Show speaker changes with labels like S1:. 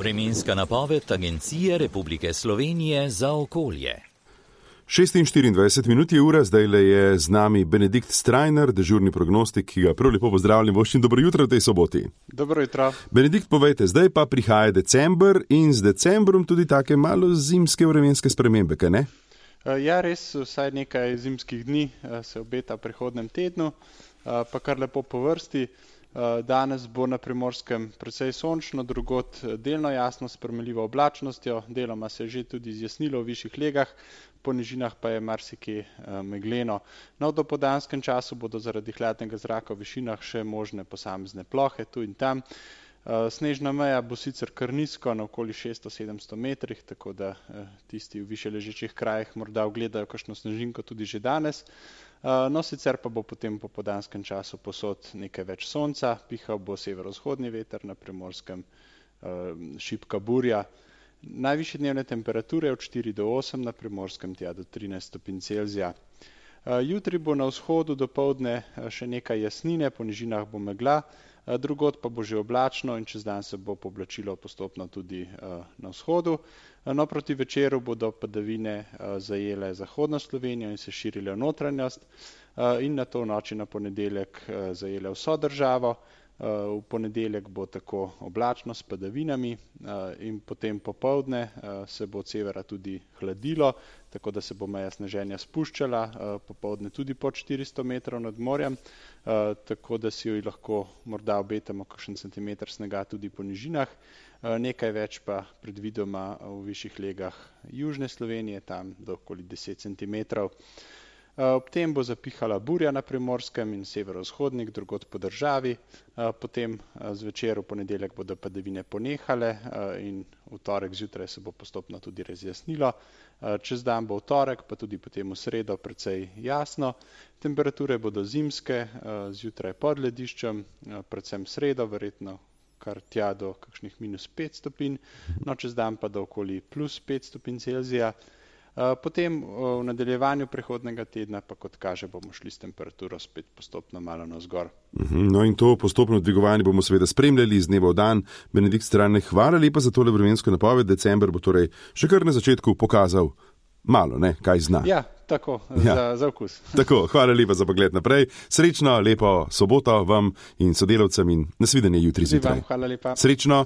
S1: Vremenska napoved Agencije Republike Slovenije za okolje.
S2: 6:24 je ura, zdaj je z nami Benedikt Strajnar, dežurni prognostik, ki ga prav lepo pozdravljam. Voščin, dobro jutro v tej soboti.
S3: Dobro jutro.
S2: Benedikt, povejte, zdaj pa prihaja december in z decembrom tudi take malo zimske vremenske spremembe, kaj ne?
S3: Ja, res, vsaj nekaj zimskih dni se obeta v prihodnem tednu, pa kar lepo po vrsti. Danes bo na Primorskem precej sončno, drugod delno jasno s premljivo oblačnostjo, deloma se je že tudi zjasnilo v višjih legah, po nižinah pa je marsikje megleno. No, v dopoldanskem času bodo zaradi hladnega zraka v višinah še možne posamezne plohe tu in tam. Snežna meja bo sicer kar nizko, na okoli 600-700 metrih, tako da tisti v više ležečih krajih morda ugledajo kakšno snežinko tudi že danes. No, sicer pa bo potem po popoldanskem času povsod nekaj več sonca, pihal bo severovzhodni veter, na Primorskem šibka burja. Najvišje dnevne temperature od 4 do 8, na Primorskem tja do 13 stopinj Celzija. Jutri bo na vzhodu dopoldne še nekaj jasnine, po nižinah bo megla, drugod pa bo že oblačno in čez dan se bo pooblačilo postopno tudi na vzhodu. No, proti večeru bodo padavine zajele zahodno Slovenijo in se širile v notranjost in nato v noči na ponedeljek zajele vso državo. V ponedeljek bo tako oblačno s padavinami in potem popoldne se bo od severa tudi hladilo, tako da se bo meja sneženja spuščala, popoldne tudi pod 400 metrov nad morjem, tako da si jo lahko morda obetamo kakšen centimeter snega tudi po nižinah, nekaj več pa predvidoma v višjih legah južne Slovenije, tam do okoli 10 centimetrov. Ob tem bo zapihala burja na Primorskem in severovzhodnik, drugod po državi, potem zvečer v ponedeljek bodo padavine ponehale in v torek zjutraj se bo postopno tudi razjasnilo. Čez dan bo v torek, pa tudi potem v sredo precej jasno. Temperature bodo zimske, zjutraj pod lediščem, predvsem sredo, verjetno kar tja do kakšnih -5 stopinj, no čez dan pa do okoli +5 stopinj Celzija. Potem v nadaljevanju prihodnega tedna pa, kot kaže, bomo šli s temperaturo spet postopno malo navzgor.
S2: No in to postopno dvigovanje bomo seveda spremljali iz dneva v dan. Benedikt Strajnar, hvala lepa za tole vremensko napoved. December bo torej še kar na začetku pokazal malo, ne, kaj zna.
S3: Ja, tako, za okus.
S2: Tako, hvala lepa za pogled naprej. Srečno, lepo soboto vam in sodelavcem in nasvidenje jutri zjutraj.
S3: Hvala lepa.
S2: Srečno.